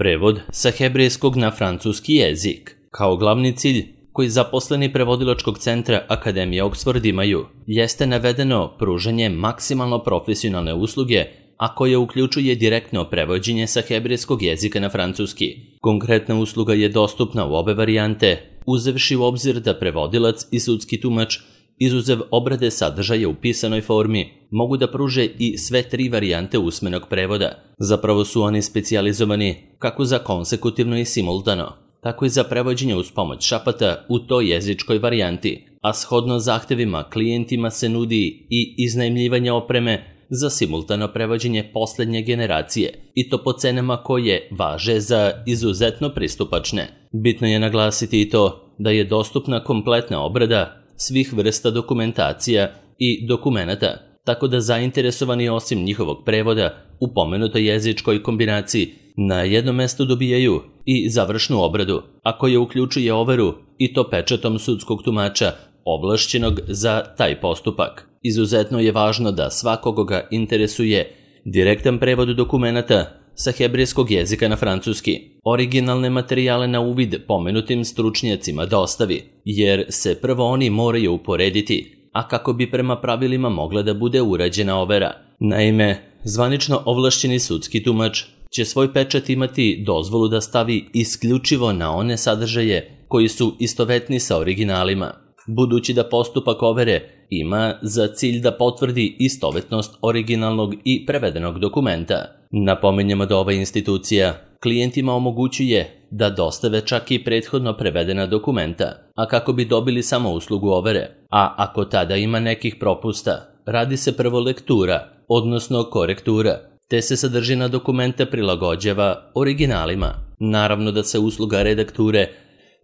Prevod sa hebrejskog na francuski jezik. Kao glavni cilj koji zaposleni prevodilačkog centra Akademije Oxford imaju, jeste navedeno pružanje maksimalno profesionalne usluge, a koje uključuje direktno prevođenje sa hebrejskog jezika na francuski. Konkretna usluga je dostupna u obe varijante, uzevši u obzir da prevodilac i sudski tumač, izuzev obrade sadržaja u pisanoj formi, mogu da pruže i sve tri varijante usmenog prevoda. Zapravo su oni specijalizovani kako za konsekutivno i simultano, tako i za prevođenje uz pomoć šapata u toj jezičkoj varijanti, a shodno zahtevima klijentima se nudi i iznajmljivanje opreme za simultano prevođenje poslednje generacije, i to po cenama koje važe za izuzetno pristupačne. Bitno je naglasiti i to da je dostupna kompletna obrada svih vrsta dokumentacija i dokumenata, tako da zainteresovani osim njihovog prevoda u pomenutoj jezičkoj kombinaciji na jednom mestu dobijaju i završnu obradu, a koja uključuje overu i to pečatom sudskog tumača ovlašćenog za taj postupak. Izuzetno je važno da svakoga ga interesuje direktan prevod dokumenata sa hebrejskog jezika na francuski, originalne materijale na uvid pomenutim stručnjacima dostavi, jer se prvo oni moraju uporediti, a kako bi prema pravilima mogla da bude urađena overa. Naime, zvanično ovlašćeni sudski tumač će svoj pečat imati dozvolu da stavi isključivo na one sadržaje koji su istovetni sa originalima, budući da postupak overe ima za cilj da potvrdi istovetnost originalnog i prevedenog dokumenta. Napominjemo da ova institucija klijentima omogućuje da dostave čak i prethodno prevedena dokumenta, a kako bi dobili samo uslugu overe, a ako tada ima nekih propusta, radi se prvo lektura, odnosno korektura, te se sadržina dokumenta prilagođava originalima. Naravno da se usluga redakture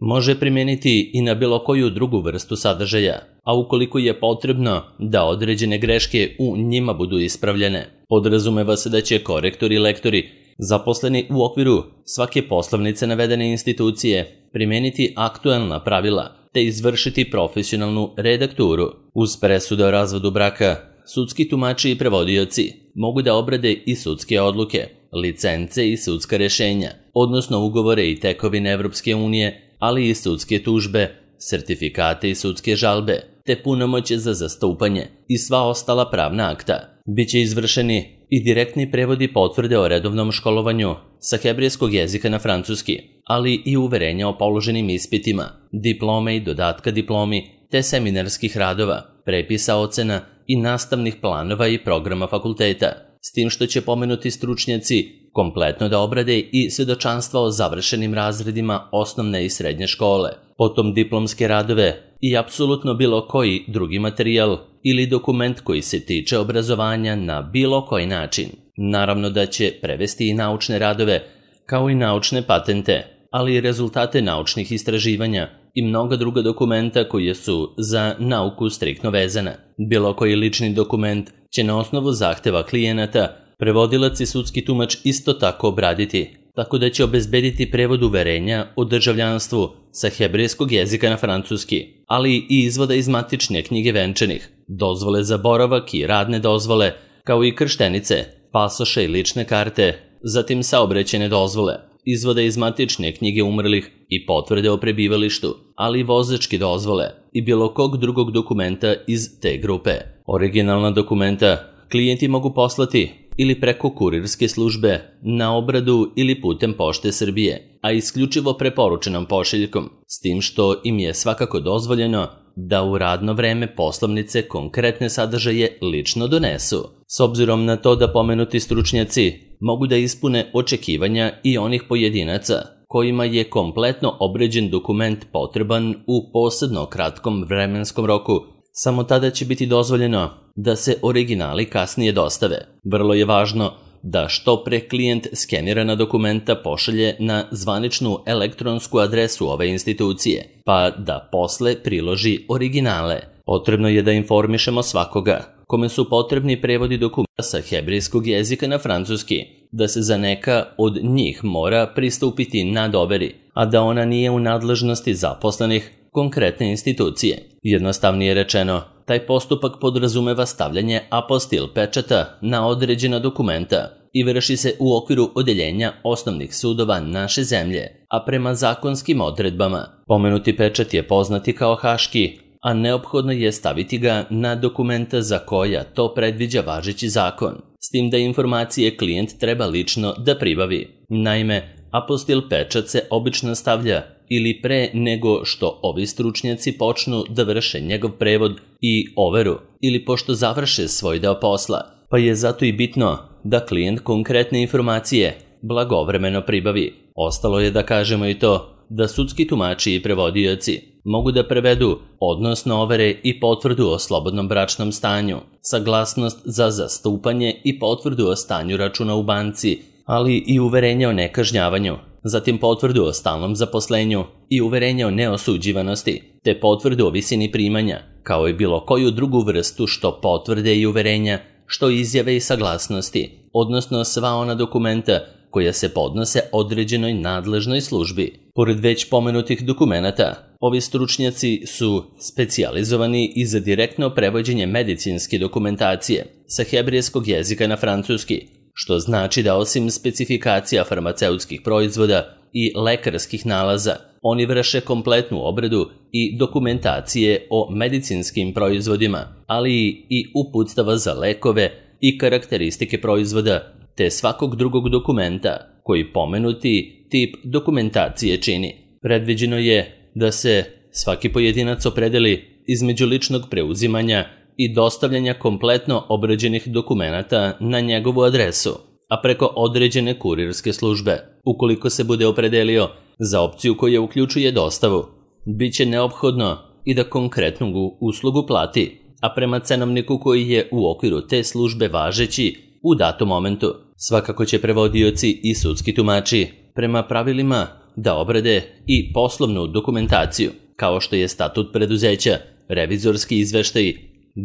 može primijeniti i na bilo koju drugu vrstu sadržaja, a ukoliko je potrebno da određene greške u njima budu ispravljene, podrazumeva se da će korektori i lektori zaposleni u okviru svake poslovnice navedene institucije primijeniti aktuelna pravila te izvršiti profesionalnu redakturu. Uz presude o razvodu braka, sudski tumači i prevodioci mogu da obrade i sudske odluke, licence i sudska rešenja, odnosno ugovore i tekovine Evropske unije, ali i sudske tužbe, sertifikate i sudske žalbe, te punomoće za zastupanje i sva ostala pravna akta. Biće izvršeni i direktni prevodi potvrde o redovnom školovanju sa hebrejskog jezika na francuski, ali i uverenja o položenim ispitima, diplome i dodatka diplomi, te seminarskih radova, prepisa ocena i nastavnih planova i programa fakulteta, s tim što će pomenuti stručnjaci kompletno da obrade i svedočanstva o završenim razredima osnovne i srednje škole, potom diplomske radove i apsolutno bilo koji drugi materijal ili dokument koji se tiče obrazovanja na bilo koji način. Naravno da će prevesti i naučne radove, kao i naučne patente, ali i rezultate naučnih istraživanja i mnoga druga dokumenta koje su za nauku striktno vezana. Bilo koji lični dokument će na osnovu zahteva klijenata prevodilac i sudski tumač isto tako obraditi, tako da će obezbediti prevod uverenja o državljanstvu sa hebrejskog jezika na francuski, ali i izvoda iz matične knjige venčanih, dozvole za boravak i radne dozvole, kao i krštenice, pasoše i lične karte, zatim saobraćajne dozvole, izvoda iz matične knjige umrlih i potvrde o prebivalištu, ali i vozačke dozvole i bilo kog drugog dokumenta iz te grupe. Originalna dokumenta klijenti mogu poslati ili preko kurirske službe na obradu ili putem Pošte Srbije, a isključivo preporučenom pošiljkom, s tim što im je svakako dozvoljeno da u radno vreme poslovnice konkretne sadržaje lično donesu. S obzirom na to da pomenuti stručnjaci mogu da ispune očekivanja i onih pojedinaca kojima je kompletno obrađen dokument potreban u posebno kratkom vremenskom roku, samo tada će biti dozvoljeno da se originali kasnije dostave. Vrlo je važno da što pre klijent skenirana dokumenta pošalje na zvaničnu elektronsku adresu ove institucije, pa da posle priloži originale. Potrebno je da informišemo svakoga kome su potrebni prevodi dokumenta sa hebrejskog jezika na francuski, da se za neka od njih mora pristupiti nadoveri, a da ona nije u nadležnosti zaposlenih konkretne institucije. Jednostavnije rečeno, taj postupak podrazumeva stavljanje apostil pečata na određena dokumenta i vrši se u okviru odeljenja osnovnih sudova naše zemlje, a prema zakonskim odredbama pomenuti pečat je poznati kao haški, a neophodno je staviti ga na dokumenta za koja to predviđa važeći zakon, s tim da informacije klijent treba lično da pribavi. Naime, apostil pečat se obično stavlja ili pre nego što ovi stručnjaci počnu da vrše njegov prevod i overu ili pošto završe svoj deo posla, pa je zato i bitno da klijent konkretne informacije blagovremeno pribavi. Ostalo je da kažemo i to da sudski tumači i prevodioci mogu da prevedu, odnosno overe i potvrdu o slobodnom bračnom stanju, saglasnost za zastupanje i potvrdu o stanju računa u banci, ali i uverenje o nekažnjavanju, zatim potvrdu o stalnom zaposlenju i uverenje o neosuđivanosti, te potvrdu o visini primanja, kao i bilo koju drugu vrstu što potvrde i uverenja, što izjave i saglasnosti, odnosno sva ona dokumenta koja se podnose određenoj nadležnoj službi. Pored već pomenutih dokumenata, ovi stručnjaci su specijalizovani i za direktno prevođenje medicinske dokumentacije sa hebrejskog jezika na francuski, što znači da osim specifikacija farmaceutskih proizvoda i lekarskih nalaza, oni vrše kompletnu obradu i dokumentacije o medicinskim proizvodima, ali i uputstava za lekove i karakteristike proizvoda, te svakog drugog dokumenta koji pomenuti tip dokumentacije čini. Predviđeno je da se svaki pojedinac opredeli između ličnog preuzimanja i dostavljanja kompletno obrađenih dokumenata na njegovu adresu, a preko određene kurirske službe. Ukoliko se bude opredelio za opciju koja uključuje dostavu, bit će neophodno i da konkretnu uslugu plati, a prema cenovniku koji je u okviru te službe važeći u datom momentu. Svakako će prevodioci i sudski tumači prema pravilima da obrade i poslovnu dokumentaciju, kao što je statut preduzeća, revizorski izveštaj,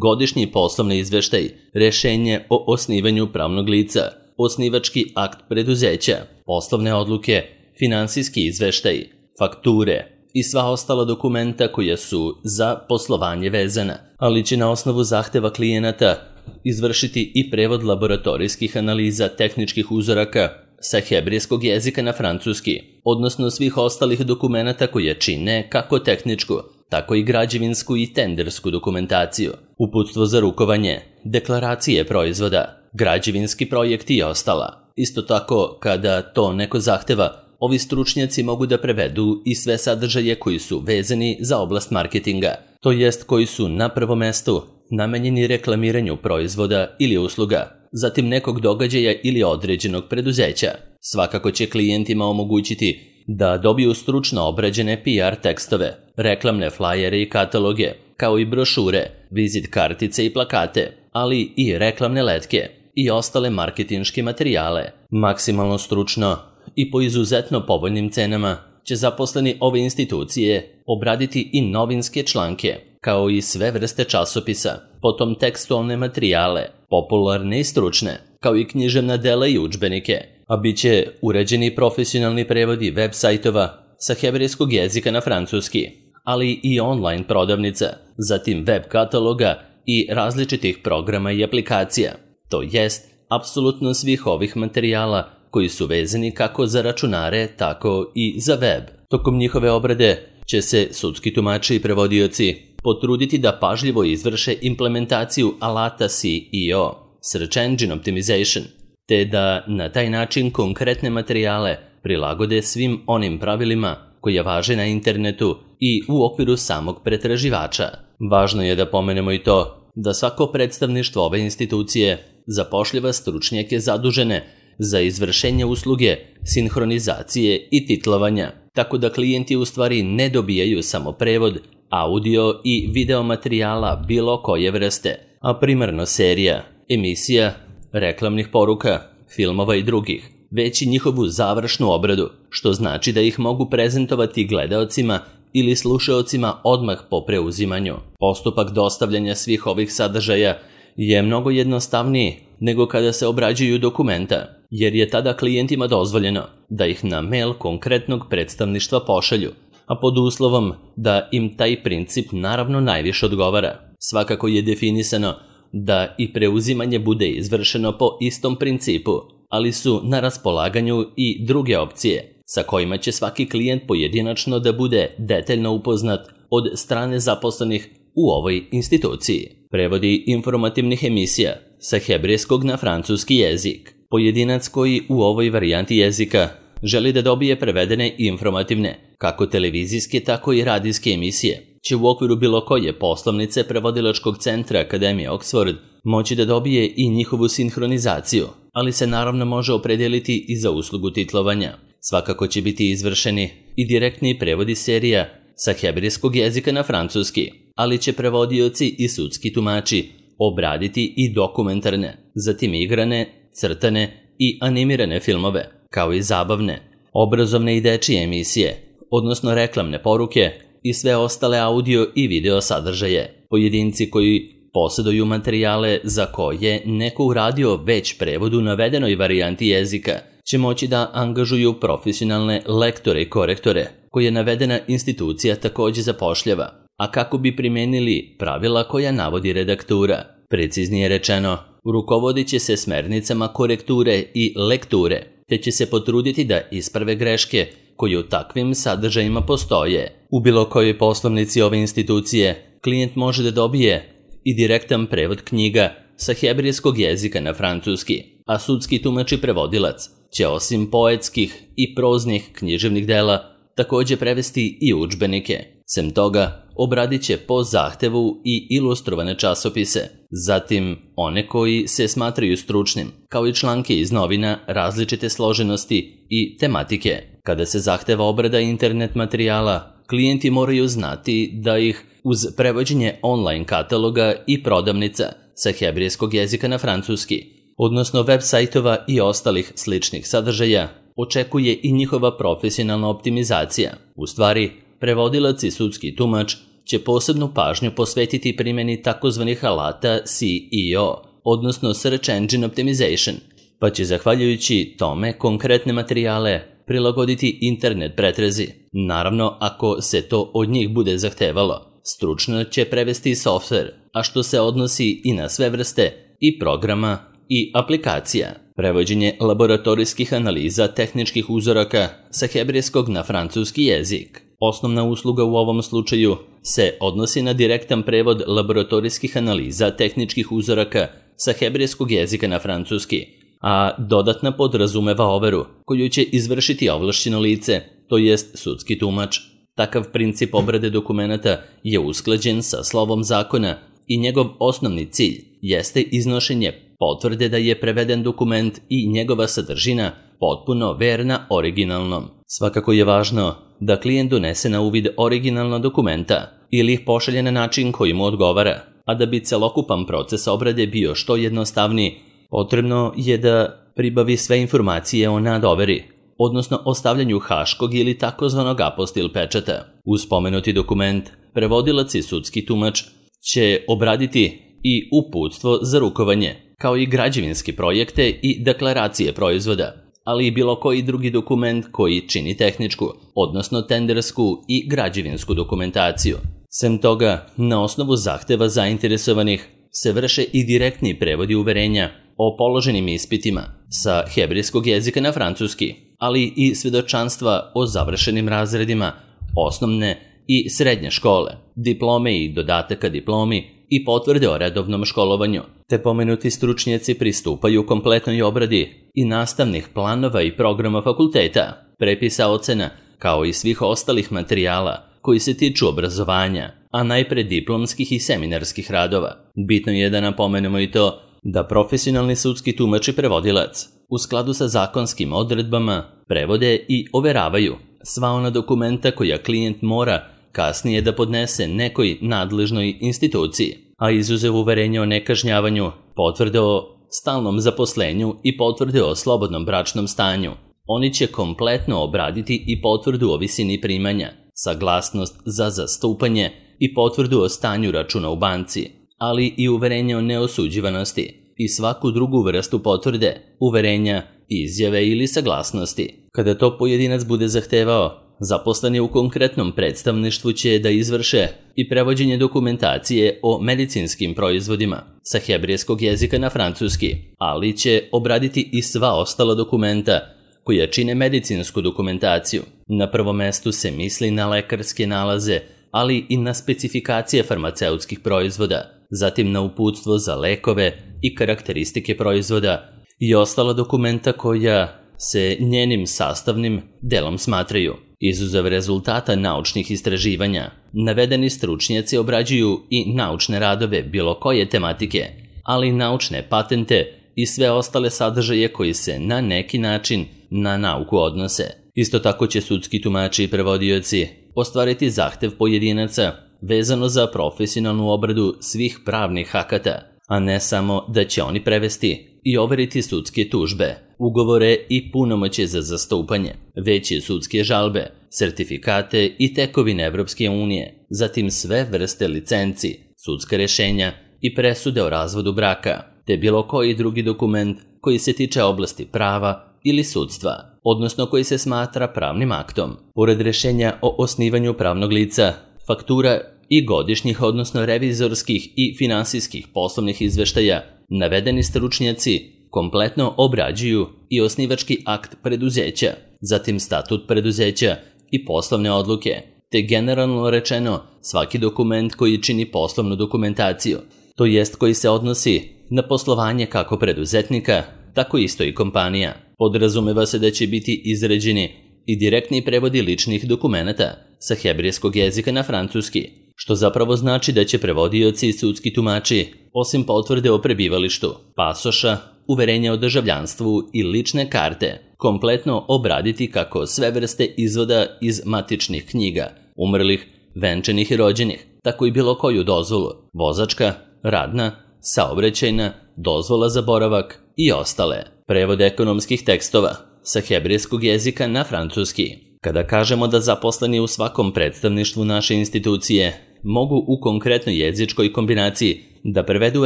godišnji poslovni izveštaj, rešenje o osnivanju pravnog lica, osnivački akt preduzeća, poslovne odluke, finansijski izveštaj, fakture i sva ostala dokumenta koja su za poslovanje vezana, ali će na osnovu zahteva klijenata izvršiti i prevod laboratorijskih analiza tehničkih uzoraka sa hebrejskog jezika na francuski, odnosno svih ostalih dokumenata koje čine kako tehničku, tako i građevinsku i tendersku dokumentaciju, uputstvo za rukovanje, deklaracije proizvoda, građevinski projekti i ostala. Isto tako, kada to neko zahteva, ovi stručnjaci mogu da prevedu i sve sadržaje koji su vezani za oblast marketinga, to jest koji su na prvom mestu namenjeni reklamiranju proizvoda ili usluga, zatim nekog događaja ili određenog preduzeća. Svakako će klijentima omogućiti da dobiju stručno obrađene PR tekstove, reklamne flajere i kataloge, kao i brošure, vizit kartice i plakate, ali i reklamne letke i ostale marketinške materijale. Maksimalno stručno i po izuzetno povoljnim cenama će zaposleni ove institucije obraditi i novinske članke, kao i sve vrste časopisa, potom tekstualne materijale, popularne i stručne, kao i književna dela i udžbenike, a bit će uređeni profesionalni prevodi web sajtova sa hebrejskog jezika na francuski, ali i online prodavnica, zatim web kataloga i različitih programa i aplikacija, to jest apsolutno svih ovih materijala koji su vezani kako za računare, tako i za web. Tokom njihove obrade će se sudski tumači i prevodioci potruditi da pažljivo izvrše implementaciju alata SEO, Search Engine Optimization, te da na taj način konkretne materijale prilagode svim onim pravilima koja važe na internetu i u okviru samog pretraživača. Važno je da pomenemo i to da svako predstavništvo ove institucije zapošljava stručnjake zadužene za izvršenje usluge, sinhronizacije i titlovanja, tako da klijenti u stvari ne dobijaju samo prevod, audio i video materijala bilo koje vrste, a primarno serija, emisija, reklamnih poruka, filmova i drugih, već i njihovu završnu obradu, što znači da ih mogu prezentovati gledaocima ili slušaocima odmah po preuzimanju. Postupak dostavljanja svih ovih sadržaja je mnogo jednostavniji nego kada se obrađuju dokumenta, jer je tada klijentima dozvoljeno da ih na mail konkretnog predstavništva pošalju, a pod uslovom da im taj princip naravno najviše odgovara. Svakako je definisano da i preuzimanje bude izvršeno po istom principu, ali su na raspolaganju i druge opcije, sa kojima će svaki klijent pojedinačno da bude detaljno upoznat od strane zaposlenih u ovoj instituciji. Prevodi informativnih emisija sa hebrejskog na francuski jezik. Pojedinac koji u ovoj varijanti jezika želi da dobije prevedene informativne, kako televizijske, tako i radijske emisije, će u okviru bilo koje poslovnice prevodilačkog centra Akademije Oxford moći da dobije i njihovu sinhronizaciju, ali se naravno može opredijeliti i za uslugu titlovanja. Svakako će biti izvršeni i direktni prevodi serija sa hebrejskog jezika na francuski, ali će prevodioci i sudski tumači obraditi i dokumentarne, zatim igrane, crtane i animirane filmove, kao i zabavne, obrazovne i dečije emisije, odnosno reklamne poruke i sve ostale audio i video sadržaje. Pojedinci koji posjeduju materijale za koje neko uradio već prevod u navedenoj varijanti jezika će moći da angažuju profesionalne lektore i korektore koje navedena institucija također zapošljava, a kako bi primenili pravila koja navodi redaktura. Preciznije rečeno, rukovodit će se smernicama korekture i lekture, te će se potruditi da isprave greške koje u takvim sadržajima postoje. U bilo kojoj poslovnici ove institucije klijent može da dobije i direktan prevod knjiga sa hebrejskog jezika na francuski, a sudski tumač i prevodilac će osim poetskih i proznih književnih dela također prevesti i udžbenike. Sem toga, obradit će po zahtevu i ilustrovane časopise, zatim one koji se smatraju stručnim, kao i članke iz novina različite složenosti i tematike. Kada se zahteva obrada internet materijala, klijenti moraju znati da ih uz prevođenje online kataloga i prodavnica sa hebrejskog jezika na francuski, odnosno web sajtova i ostalih sličnih sadržaja, očekuje i njihova profesionalna optimizacija. U stvari, prevodilac i sudski tumač će posebnu pažnju posvetiti primjeni takozvanih alata SEO, odnosno Search Engine Optimization, pa će zahvaljujući tome konkretne materijale prilagoditi internet pretrezi. Naravno, ako se to od njih bude zahtevalo, stručno će prevesti software, a što se odnosi i na sve vrste i programa i aplikacija. Prevođenje laboratorijskih analiza tehničkih uzoraka sa hebrejskog na francuski jezik. Osnovna usluga u ovom slučaju se odnosi na direktan prevod laboratorijskih analiza tehničkih uzoraka sa hebrejskog jezika na francuski, a dodatna podrazumeva overu koju će izvršiti ovlašćeno lice, to jest sudski tumač. Takav princip obrade dokumenata je usklađen sa slovom zakona i njegov osnovni cilj jeste iznošenje potvrde da je preveden dokument i njegova sadržina potpuno verna originalnom. Svakako je važno da klijent donese na uvid originalna dokumenta ili ih pošalje na način koji mu odgovara, a da bi celokupan proces obrade bio što jednostavniji, potrebno je da pribavi sve informacije o nadoveri, odnosno o stavljanju haškog ili takozvanog apostil pečata. Uz spomenuti dokument, prevodilac i sudski tumač će obraditi i uputstvo za rukovanje, kao i građevinske projekte i deklaracije proizvoda, ali i bilo koji drugi dokument koji čini tehničku, odnosno tendersku i građevinsku dokumentaciju. Sem toga, na osnovu zahteva zainteresovanih se vrše i direktni prevodi uverenja o položenim ispitima sa hebrejskog jezika na francuski, ali i svjedočanstva o završenim razredima osnovne i srednje škole, diplome i dodataka diplomi i potvrde o redovnom školovanju, te pomenuti stručnjaci pristupaju kompletnoj obradi i nastavnih planova i programa fakulteta, prepisa ocena, kao i svih ostalih materijala koji se tiču obrazovanja, a najpre diplomskih i seminarskih radova. Bitno je da napomenemo i to da profesionalni sudski tumač i prevodilac u skladu sa zakonskim odredbama prevode i overavaju sva ona dokumenta koja klijent mora kasnije da podnese nekoj nadležnoj instituciji, a izuzev uverenja o nekažnjavanju, potvrde o stalnom zaposlenju i potvrde o slobodnom bračnom stanju. Oni će kompletno obraditi i potvrdu o visini primanja, saglasnost za zastupanje i potvrdu o stanju računa u banci, ali i uverenje o neosuđivanosti i svaku drugu vrstu potvrde, uverenja, izjave ili saglasnosti. Kada to pojedinac bude zahtevao, Zaposleni u konkretnom predstavništvu će da izvrše i prevođenje dokumentacije o medicinskim proizvodima sa hebrejskog jezika na francuski, ali će obraditi i sva ostala dokumenta koja čine medicinsku dokumentaciju. Na prvom mestu se misli na lekarske nalaze, ali i na specifikacije farmaceutskih proizvoda, zatim na uputstvo za lekove i karakteristike proizvoda i ostala dokumenta koja se njenim sastavnim delom smatraju. Izuzev rezultata naučnih istraživanja, navedeni stručnjaci obrađuju i naučne radove bilo koje tematike, ali i naučne patente i sve ostale sadržaje koji se na neki način na nauku odnose. Isto tako će sudski tumači i prevodioci ostvariti zahtev pojedinaca vezano za profesionalnu obradu svih pravnih akata, a ne samo da će oni prevesti i overiti sudske tužbe, ugovore i punomoćje za zastupanje, već i sudske žalbe, sertifikate i tekovine Evropske unije, zatim sve vrste licenci, sudska rješenja i presude o razvodu braka, te bilo koji drugi dokument koji se tiče oblasti prava ili sudstva, odnosno koji se smatra pravnim aktom. Pored rješenja o osnivanju pravnog lica, faktura i godišnjih, odnosno revizorskih i finansijskih poslovnih izveštaja, navedeni stručnjaci kompletno obrađuju i osnivački akt preduzeća, zatim statut preduzeća i poslovne odluke, te generalno rečeno svaki dokument koji čini poslovnu dokumentaciju, to jest koji se odnosi na poslovanje kako preduzetnika, tako isto i kompanija. Podrazumeva se da će biti izrađeni i direktni prevodi ličnih dokumenata sa hebrejskog jezika na francuski, što zapravo znači da će prevodioci i sudski tumači, osim potvrde o prebivalištu, pasoša, uverenja o državljanstvu i lične karte, kompletno obraditi kako sve vrste izvoda iz matičnih knjiga, umrlih, venčanih i rođenih, tako i bilo koju dozvolu, vozačka, radna, saobraćajna, dozvola za boravak i ostale. Prevod ekonomskih tekstova sa hebrejskog jezika na francuski. Kada kažemo da zaposleni u svakom predstavništvu naše institucije mogu u konkretnoj jezičkoj kombinaciji da prevedu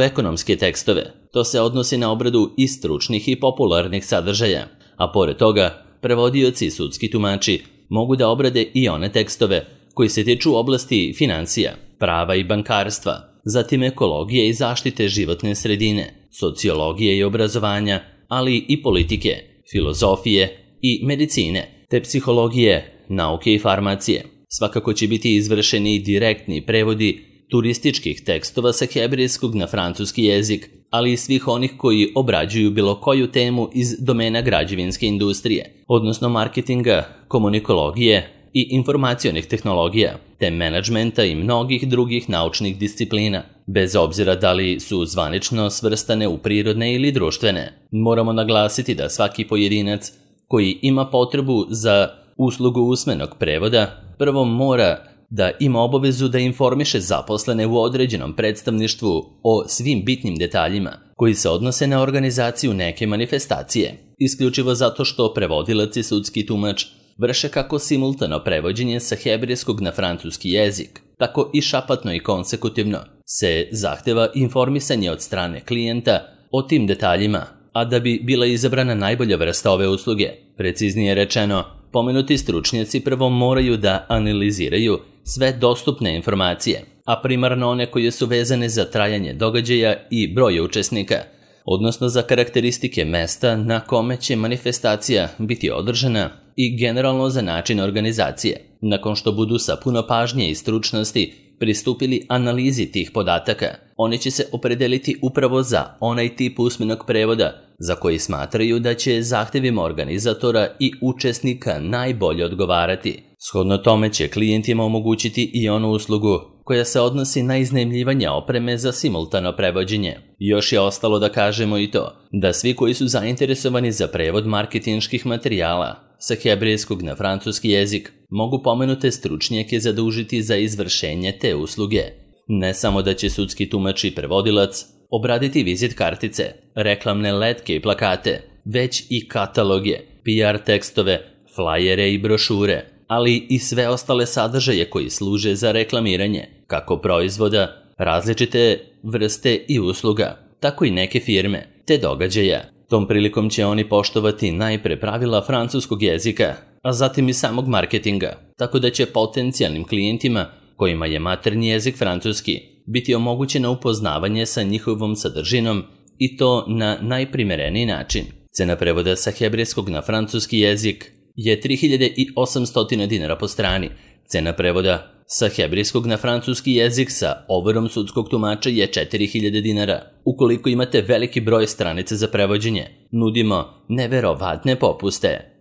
ekonomske tekstove, to se odnosi na obradu i stručnih i popularnih sadržaja, a pored toga, prevodioci i sudski tumači mogu da obrade i one tekstove koji se tiču oblasti financija, prava i bankarstva, zatim ekologije i zaštite životne sredine, sociologije i obrazovanja, ali i politike, filozofije i medicine, te psihologije, nauke i farmacije. Svakako će biti izvršeni direktni prevodi turističkih tekstova sa hebrejskog na francuski jezik, ali i svih onih koji obrađuju bilo koju temu iz domena građevinske industrije, odnosno marketinga, komunikologije i informacionih tehnologija, te menadžmenta i mnogih drugih naučnih disciplina, bez obzira da li su zvanično svrstane u prirodne ili društvene. Moramo naglasiti da svaki pojedinac koji ima potrebu za uslugu usmenog prevoda prvo mora da ima obavezu da informiše zaposlene u određenom predstavništvu o svim bitnim detaljima koji se odnose na organizaciju neke manifestacije, isključivo zato što prevodilac i sudski tumač vrše kako simultano prevođenje sa hebrejskog na francuski jezik, tako i šapatno i konsekutivno se zahteva informisanje od strane klijenta o tim detaljima, a da bi bila izabrana najbolja vrsta ove usluge. Preciznije rečeno, pomenuti stručnjaci prvo moraju da analiziraju sve dostupne informacije, a primarno one koje su vezane za trajanje događaja i broje učesnika, odnosno za karakteristike mesta na kome će manifestacija biti održana i generalno za način organizacije. Nakon što budu sa puno pažnje i stručnosti pristupili analizi tih podataka, oni će se opredeliti upravo za onaj tip usmenog prevoda za koji smatraju da će zahtevima organizatora i učesnika najbolje odgovarati. Shodno tome će klijentima omogućiti i onu uslugu koja se odnosi na iznajmljivanje opreme za simultano prevođenje. Još je ostalo da kažemo i to, da svi koji su zainteresovani za prevod marketinških materijala sa hebrejskog na francuski jezik mogu pomenute stručnjake zadužiti za izvršenje te usluge. Ne samo da će sudski tumač i prevodilac obraditi vizit kartice, reklamne letke i plakate, već i kataloge, PR tekstove, flajere i brošure, ali i sve ostale sadržaje koji služe za reklamiranje, kako proizvoda, različite vrste i usluga, tako i neke firme, te događaja. Tom prilikom će oni poštovati najpre pravila francuskog jezika, a zatim i samog marketinga, tako da će potencijalnim klijentima kojima je maternji jezik francuski biti omogućeno upoznavanje sa njihovom sadržinom i to na najprimereniji način. Cena prevoda sa hebrejskog na francuski jezik je 3800 dinara po strani. Cena prevoda sa hebrejskog na francuski jezik sa overom sudskog tumača je 4000 dinara. Ukoliko imate veliki broj stranica za prevođenje, nudimo neverovatne popuste.